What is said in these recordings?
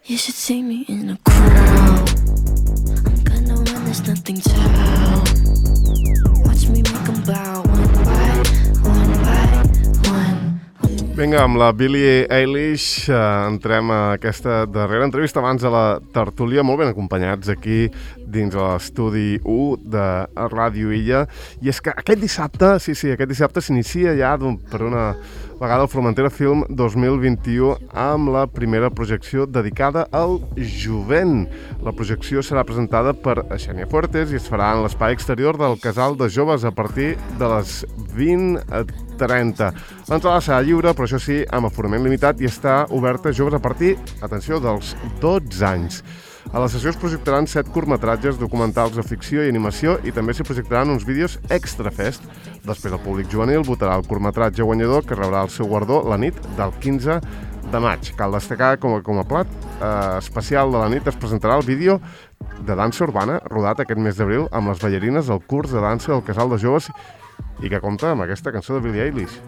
You should see me in a crowd. I'm gonna win, there's nothing to. Watch me make them bow one by one. Vinga, amb la Billie Eilish entrem a aquesta darrera entrevista abans a la tertúlia, molt ben acompanyats aquí dins l'estudi 1 de Ràdio Illa. I és que aquest dissabte s'inicia ja per una vegada el Formentera Film 2021 amb la primera projecció dedicada al jovent. La projecció serà presentada per Xènia Fuertes i es farà en l'espai exterior del Casal de Joves a partir de les 20:30. L'entrada serà lliure, però això sí, amb aforament limitat i està oberta a joves a partir, atenció, dels 12 anys. A la sessió es projectaran 7 curtmetratges documentals de ficció i animació i també s'hi projectaran uns vídeos extrafest. Després el públic juvenil votarà el curtmetratge guanyador que rebrà el seu guardó la nit del 15 de maig. Cal destacar com a plat especial de la nit es presentarà el vídeo de dansa urbana rodat aquest mes d'abril amb les ballarines del curs de dansa del Casal de Joves i que compta amb aquesta cançó de Billie Eilish.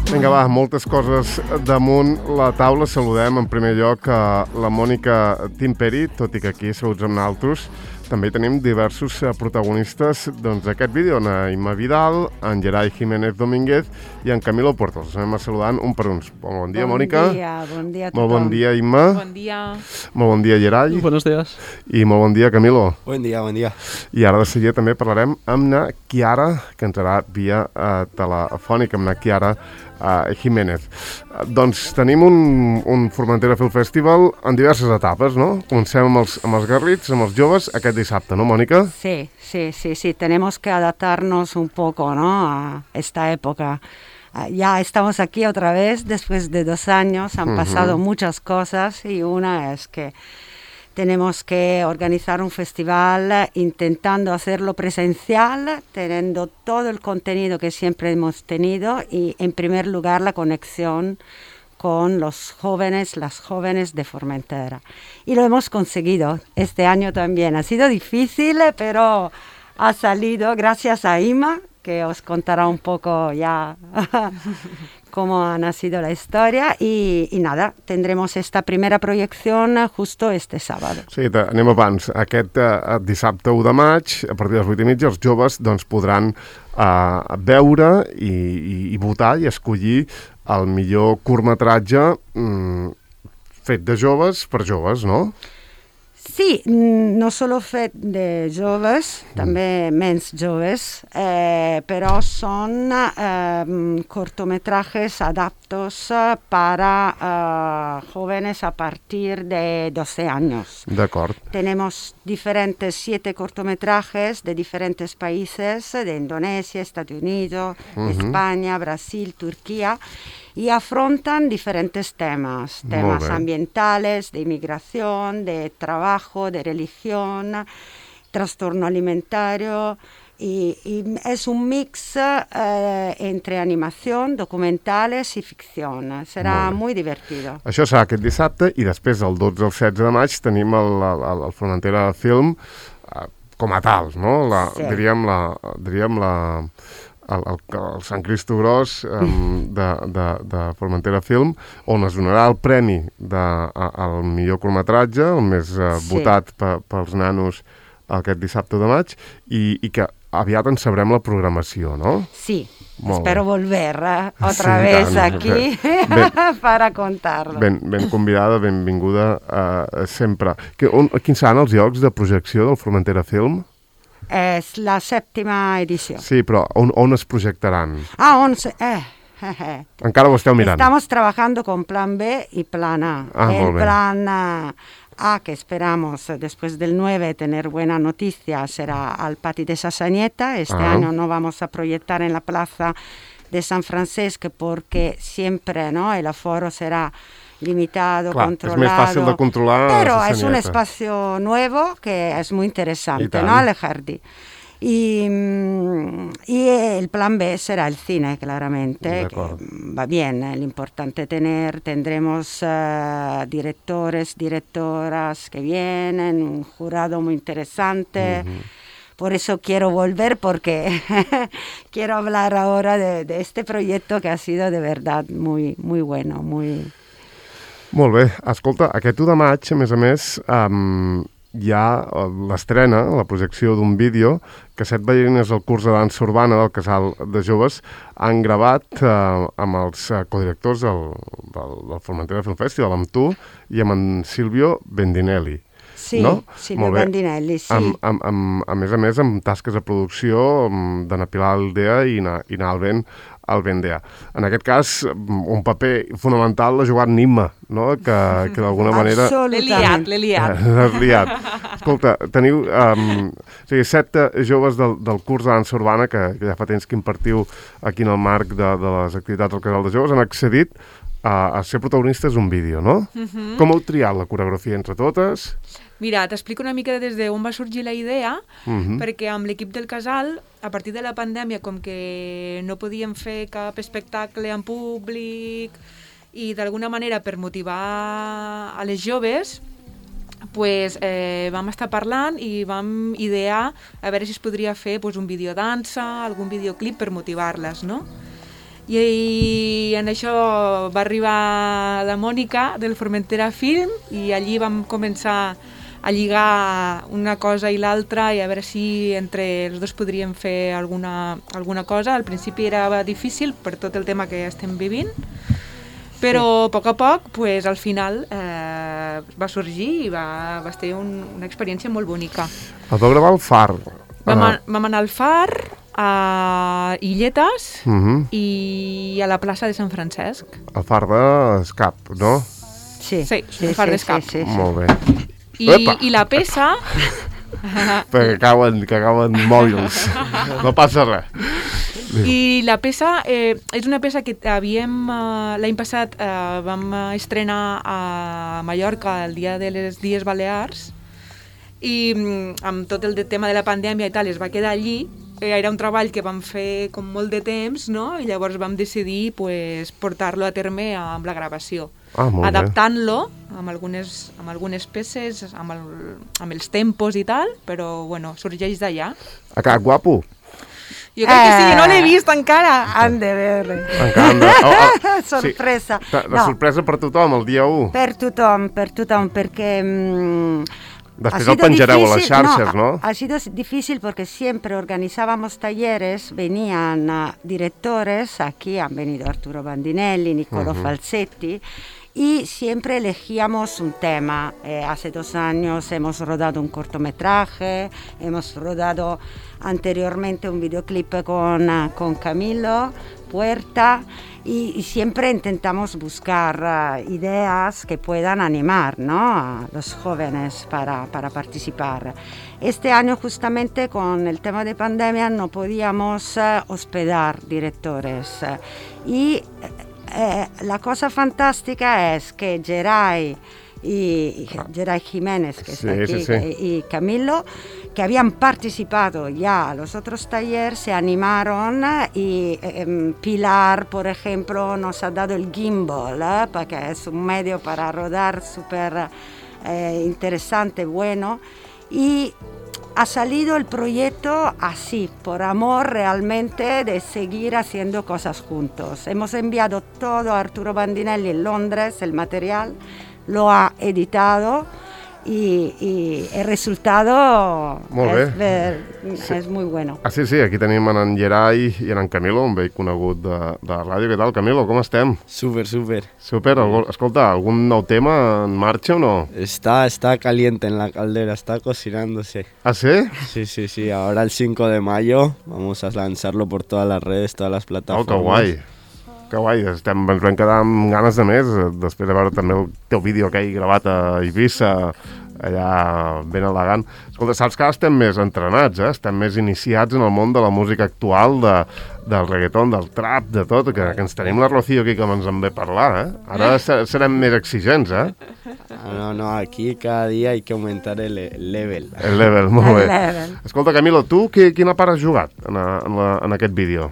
Vinga, va, moltes coses damunt la taula. Saludem en primer lloc a la Mònica Timperi, tot i que aquí saluts amb naltros. També tenim diversos protagonistes d'aquest vídeo, en Imma Vidal, en Gerai Jiménez Domínguez i en Camilo Puertos. Els anem saludant un per uns. Bon dia, Mònica. Bon dia a tothom. Molt bon dia, Imma. Bon dia. Molt bon dia, Gerai. Buenos días. I molt bon dia, Camilo. Bon dia. I ara de seguida també parlarem amb na Chiara, que entrarà via telefònica, amb na Chiara Jiménez. Doncs tenim un Formentera Film Festival en diverses etapes, no? Comencem amb els garrits, amb els joves, aquest dissabte, ¿no, Mónica? Sí. Tenemos que adaptarnos un poco, ¿no? A esta época. Ya estamos aquí otra vez, después de 2 años, han pasado muchas cosas y una es que tenemos que organizar un festival intentando hacerlo presencial, teniendo todo el contenido que siempre hemos tenido y, en primer lugar, la conexión con los jóvenes, las jóvenes de Formentera. Y lo hemos conseguido este año también. Ha sido difícil, pero ha salido gracias a Imma, que os contará un poco ya cómo ha nacido la historia y nada, tendremos esta primera proyección justo este sábado. Sí, anem abans. Aquest dissabte 1 de maig, a partir de les 8:30, els joves podran veure i votar i escollir el millor curtmetratge fet de joves per joves, no? Sí, no solo fet de joves, també menys joves, però son cortometrajes adaptos para jóvenes a partir de 12 años. D'acord. Tenemos 7 cortometrajes de diferentes países, de Indonesia, Estados Unidos, España, Brasil, Turquía, y afrontan diferentes temas ambientales, de inmigración, de trabajo, de religión, trastorno alimentario, y es un mix entre animación, documentales y ficción. Serà muy divertido. Això serà aquest dissabte i després el 12 al 16 de maig tenim el Formentera Film com a tal, no? Diríem el Sant Cristo Gros de Formentera Film, on es donarà el premi al millor curtmetratge, el més votat pels nanos aquest dissabte de maig, i que aviat en sabrem la programació, no? Sí, espero volver otra vez aquí para contarlo. Ben convidada, benvinguda sempre. Quins seran els llocs de projecció del Formentera Film? Es la 7ª edició. Sí, però on es projectaran? 11. Encara ho esteu mirant. Estamos trabajando con plan B y plan A. El plan A, que esperamos después del 9 tener buena noticia, será al Pati de Sassanieta. Este año no vamos a proyectar en la plaza de San Francisco porque siempre, ¿no?, el aforo será limitado, controlado. Es más fácil de controlar. Pero es un espacio nuevo que es muy interesante, ¿no?, el jardín. Y el plan B será el cine, claramente, que va bien. Lo importante tendremos directores, directoras que vienen, un jurado muy interesante. Por eso quiero volver, porque quiero hablar ahora de este proyecto que ha sido de verdad muy, muy bueno. Molt bé. Escolta, aquest 1 de maig, a més, hi ha l'estrena, la projecció d'un vídeo que 7 ballarines del curs de dansa urbana del Casal de Joves han gravat amb els codirectors del Formentera Film Festival, amb tu i amb en Silvio Bendinelli. Sí, no? Silvio Bendinelli, sí. A més, amb tasques de producció d'Anna Pilar Aldea i Nalben Albendea. En aquest cas, un paper fonamental l'ha jugat Nimma, no? Que d'alguna manera... Absolutament. L'he liat. L'has liat. Escolta, teniu 7 joves del curs de dansa urbana que ja fa temps que impartiu aquí en el marc de les activitats del Casal de Joves, han accedit a ser protagonistes d'un vídeo, no? Com heu triat la coreografia entre totes? Mira, t'explico una mica des d'on va sorgir la idea, perquè amb l'equip del Casal, a partir de la pandèmia, com que no podíem fer cap espectacle en públic i d'alguna manera per motivar a les joves, pues, vam estar parlant i vam idear a veure si es podria fer pues, un videodansa, algun videoclip per motivar-les, no? I en això va arribar la Mònica del Formentera Film i allí vam començar a lligar una cosa i l'altra i a veure si entre els dos podríem fer alguna cosa. Al principi era difícil per tot el tema que estem vivint, però a poc, pues, al final va sorgir i va ser una experiència molt bonica. El vau gravar al Far. Vam anar al Far, a Illetes i a la plaça de Sant Francesc. El Far d'Escap, no? Sí, el Far d'Escap. Sí. Molt bé. I la peça... Perquè cauen mòbils. No passa res. I la peça és una peça que l'any passat vam estrenar a Mallorca el dia de les Dies Balears i amb tot el tema de la pandèmia i tal es va quedar allí. Era un treball que vam fer com molt de temps, no? I llavors vam decidir pues, portar-lo a terme amb la gravació, adaptant-lo amb algunes peces, amb els tempos i tal, però bueno, sorgeix d'allà. Ha quedat guapo? Jo crec que sí, no l'he vist encara. Han de veure. Sorpresa. Sí. La sorpresa per tothom, el dia 1. Per tothom, perquè... Després el penjareu a les xarxes, ¿no? Ha sido difícil porque siempre organizábamos talleres, venían directores, aquí han venido Arturo Bandinelli, Niccolò Falsetti, y siempre elegíamos un tema. Hace 2 años hemos rodado un cortometraje, hemos rodado anteriormente un videoclip con Camilo Puerta, y siempre intentamos buscar ideas que puedan animar, ¿no? A los jóvenes para participar. Este año justamente con el tema de pandemia no podíamos hospedar directores y la cosa fantástica es que Geray Jiménez, que está aquí, y Camilo, que habían participado ya a los otros talleres, se animaron y Pilar, por ejemplo, nos ha dado el gimbal, porque es un medio para rodar súper interesante, bueno, y ha salido el proyecto así, por amor realmente de seguir haciendo cosas juntos. Hemos enviado todo a Arturo Bandinelli en Londres, el material, lo ha editado y el resultado és muy bueno. Sí, aquí tenim en Geray i en Camilo, un vell conegut de la ràdio. Què tal, Camilo? Com estem? Súper. Súper. Escolta, ¿algún nou tema en marcha o no? Está caliente en la caldera, está cocinándose. ¿Ah, sí? Sí. Ahora el 5 de mayo vamos a lanzarlo por todas las redes, todas las plataformas. Oh, que guai. Que guai, ens vam quedar amb ganes de més, després de veure també el teu vídeo aquell gravat a Eivissa, allà ben elegant. Escolta, saps que ara estem més entrenats, estem més iniciats en el món de la música actual, del reggaeton, del trap, de tot, que ens tenim la Rocío aquí que ens en ve parlar, Ara serem més exigents, No, aquí cada dia hay que aumentar el level. El level, molt bé. level. Escolta, Camilo, tu quina part has jugat en aquest vídeo?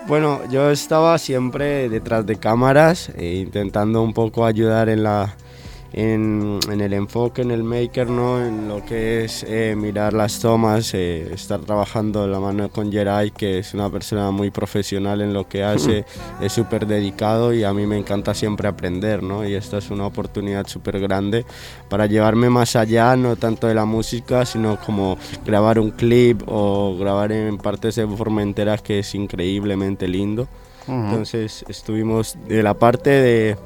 Bueno, yo estaba siempre detrás de cámaras, intentando un poco ayudar en el enfoque, en el maker, ¿no? En lo que es mirar las tomas, estar trabajando de la mano con Geray, que es una persona muy profesional en lo que hace, es súper dedicado y a mí me encanta siempre aprender, ¿no? Y esta es una oportunidad súper grande para llevarme más allá, no tanto de la música, sino como grabar un clip o grabar en partes de Formentera, que es increíblemente lindo. Entonces estuvimos de la parte de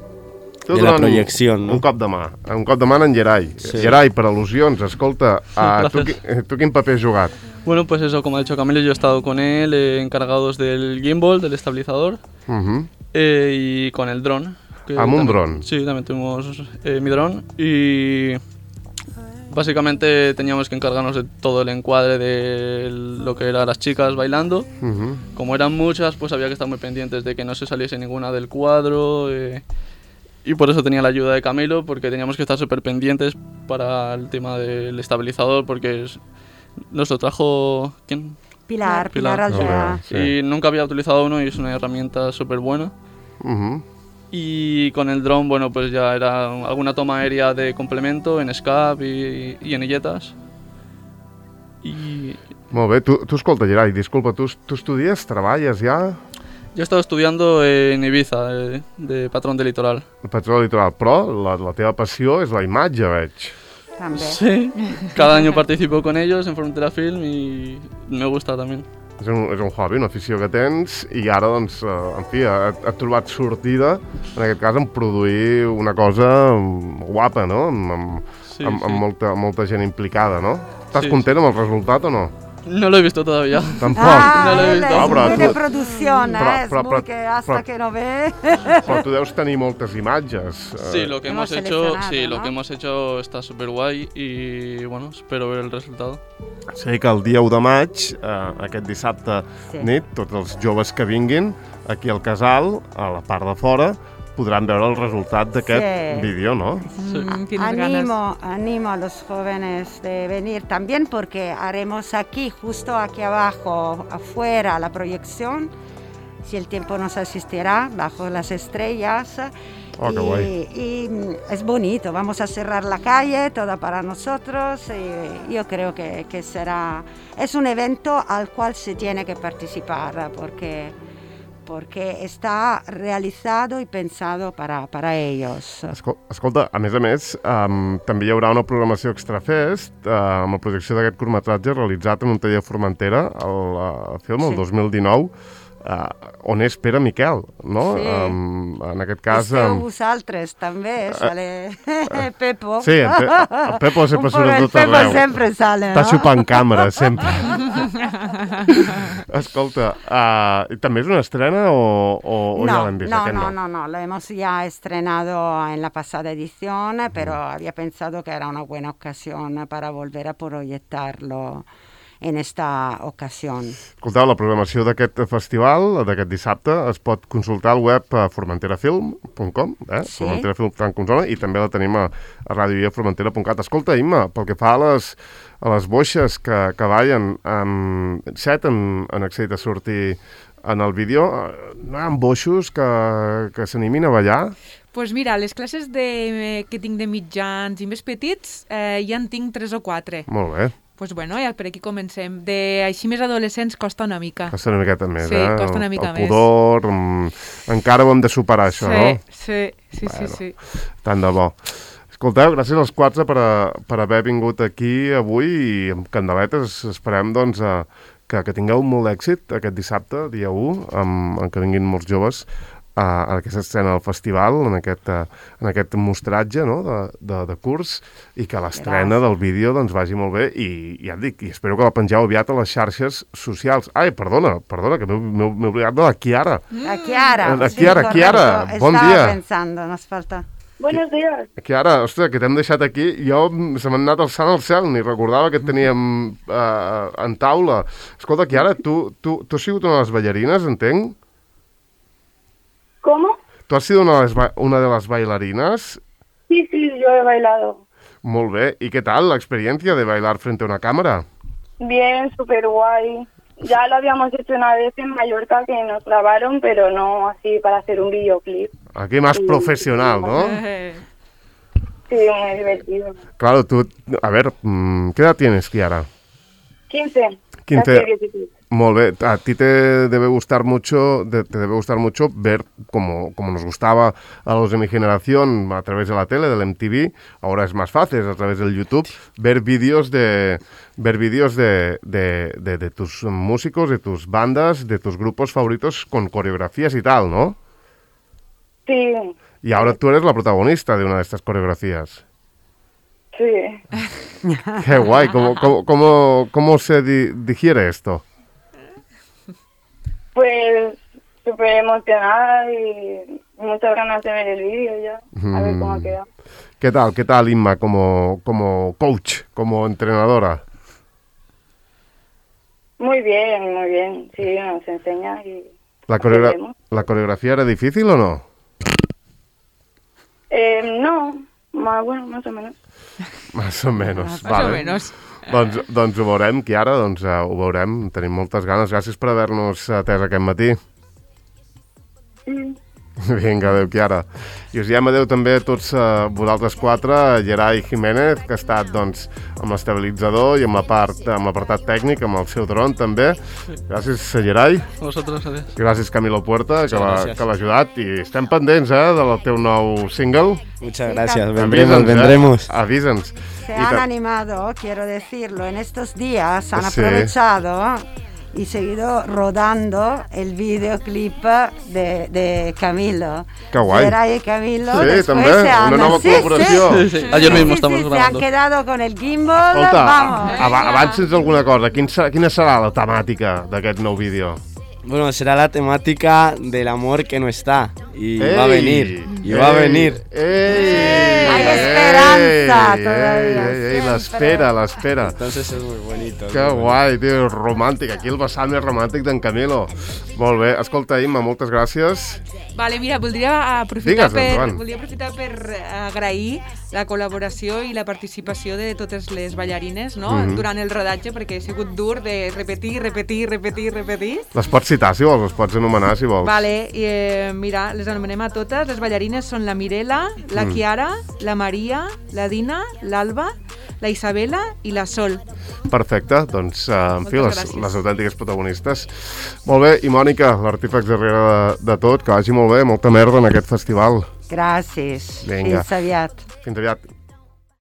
la projecció, no? Un cop de mà en Geray. Sí. Geray, per al·lusions, escolta, tu quin paper has jugat? Bueno, pues eso, como ha dicho Camilo, yo he estado con él, encargados del gimbal, del estabilizador, y con el dron. Un dron? Sí, también tuvimos mi dron, y básicamente teníamos que encargarnos de todo el encuadre de lo que eran las chicas bailando. Como eran muchas, pues había que estar muy pendientes de que no se saliese ninguna del cuadro, y por eso tenía la ayuda de Camilo, porque teníamos que estar súper pendientes para el tema del estabilizador, porque nos lo trajo... ¿quién? Pilar Aldea. Sí. Y nunca había utilizado uno y es una herramienta súper buena. Y con el dron, bueno, pues ya era alguna toma aérea de complemento en SCAP y en illetes. Molt bé, tu escolta, Geray, disculpa, tu estudies, treballes ja? Yo he estado estudiando en Ibiza, de patrón de litoral. Patrón de litoral, però la teva passió és la imatge, veig. També. Sí, cada año participo con ellos en Formentera Film y me gusta también. És un hobby, una afició que tens, i ara, doncs, en fi, ha trobat sortida, en aquest cas, en produir una cosa guapa, no? Amb molta gent implicada, no? Estàs content amb el resultat o no? No lo he visto todavía. Tampoc. No lo he visto. Es muy de producción, es muy que hasta que no ve. Però tu deus tenir moltes imatges. Sí, lo que hemos hecho está súper guay y bueno, espero ver el resultado. Sé que el dia 1 de maig, aquest dissabte nit, tots els joves que vinguin aquí al casal, a la part de fora, podran veure el resultat d'aquest vídeo, ¿no? Sí. Animo a los jóvenes de venir también, porque haremos aquí, justo aquí abajo, afuera, la proyección, si el tiempo nos asistirá, bajo las estrellas. Oh, qué guay. Y es bonito, vamos a cerrar la calle, toda para nosotros, y yo creo que es un evento al cual se tiene que participar, porque està realitzado i pensado para ells. Escolta, a més, també hi haurà una programació Extrafest amb la projecció d'aquest curtmetratge realitzat en un taller de Formentera, el film, el 2019, on és Pere Miquel, no? Sí. En aquest cas... Esteu vosaltres, també, sale Pepo. Sí, el Pepo sempre surt a tot arreu. El Pepo sempre sale, no? Està xupant càmera, sempre. Escolta, ¿també és una estrena o ya la han visto? No, lo hemos ya estrenado en la pasada edición, pero había pensado que era una buena ocasión para volver a proyectarlo en esta ocasió. Escolteu, la programació d'aquest festival, d'aquest dissabte, es pot consultar al web formenterafilm.com, Sí. formenterafilm.com, i també la tenim a radioiaformentera.cat. Escolta, Imma, pel que fa a les boixes que ballen, 7 han accedit a sortir en el vídeo, no hi ha boixos que s'animin a ballar? Pues mira, les classes que tinc de mitjans i més petits, ja en tinc 3 o 4. Molt bé. Pues bueno, ja per aquí comencem. Així més adolescents costa una mica. Costa una miqueta més, Sí, costa una mica més. El pudor, encara ho hem de superar, això, no? Sí. Tant de bo. Escolteu, gràcies als 4 per haver vingut aquí avui i amb candeletes esperem, doncs, que tingueu molt d'èxit aquest dissabte, dia 1, en què vinguin molts joves en aquesta escena del festival, en aquest mostratge, no?, de curs, i que l'estrena del vídeo doncs vagi molt bé i ja et dic, i espero que la pengeu aviat a les xarxes socials. Ai, perdona, que m'he oblidat de la Chiara. La Chiara. La Chiara, bon dia. Estaba pensando, nos falta. Buenos días. Chiara, ostres, que t'hem deixat aquí. Jo se m'han anat alçant al cel, ni recordava que et teníem en taula. Escolta, Chiara, tu has sigut una de les ballarines, entenc? ¿Cómo? ¿Tu has sido una de las bailarinas? Sí, yo he bailado. Molt bé. ¿Y qué tal la experiencia de bailar frente a una cámara? Bien, súper guay. Ya lo habíamos hecho una vez en Mallorca que nos grabaron, pero no así para hacer un videoclip. Aquí más profesional, ¿no? Sí, muy divertido. Claro, tú, a ver, ¿qué edad tienes, Chiara? 15. 15. Casi 16. Molt bé. A ti te debe gustar mucho ver como nos gustaba a los de mi generación a través de la tele, del MTV. Ahora es más fácil, es a través del YouTube, ver vídeos de tus músicos, de tus bandas, de tus grupos favoritos con coreografías y tal, ¿no? Sí. Y ahora tú eres la protagonista de una de estas coreografías. Sí. Qué guay. ¿Cómo se digiere esto? Pues súper emocionada y muchas ganas de ver el vídeo ya, a ver cómo queda. ¿Qué tal, Inma, como coach, como entrenadora? Muy bien, sí, nos enseña y... ¿La coreografía era difícil o no? No, bueno, más o menos. Más o menos, Más vale. o menos. Doncs ho veurem, Chiara, ho veurem. Tenim moltes ganes. Gràcies per haver-nos atès aquest matí. Vinga, adéu, Chiara. I us diem adéu també a tots vosaltres quatre, a Gerai Jiménez, que ha estat doncs, amb l'estabilitzador i amb l'apartat tècnic, amb el seu dron també. Gràcies, Gerai. Vosotros, adiós. Gràcies, Camilo Puerta, que gràcies. l'ha ajudat. I estem pendents del teu nou single. Muchas gracias, Avisa'ns, vendremos. Avisa'ns. Se han animado, quiero decirlo, en estos días han Sí. aprovechado y seguido rodando el videoclip de Camilo. Qué guay. Gerai y Camilo. Sí, después també, se han... una nova col·laboració. Sí. Ayer mismo estamos Se han grabando. quedado con el gimbal, Escolta, vamos. abans sents alguna cosa. Quina serà la temàtica d'aquest nou vídeo? Bueno, será la temática del amor que no está. Y va a Ei, venir. Y va a venir. Hay esperanza todavía, siempre. l'espera. Entonces es muy bonito. Que guai, tio, romàntic. Aquí el vessant més romàntic d'en Camilo. Molt bé. Escolta, Imma, moltes gràcies. Vale, mira, voldria aprofitar Digues, per agrair la col·laboració i la participació de totes les ballarines, no? Durant el rodatge, perquè ha sigut dur de repetir. Les pots citar, si vols, les pots anomenar, si vols. Vale, i mira, les anomenem a totes. Les ballarines són la Mirela, la Chiara, la Maria, la Dina, l'Alba, la Isabela i la Sol. Perfecte, doncs, en fi, Moltes les gràcies. autèntiques protagonistes. Molt bé, i Mònica, l'artífex darrere de tot, que vagi molt bé, molta merda en aquest festival. Gracias. Vinga. Fins aviat. Fins aviat.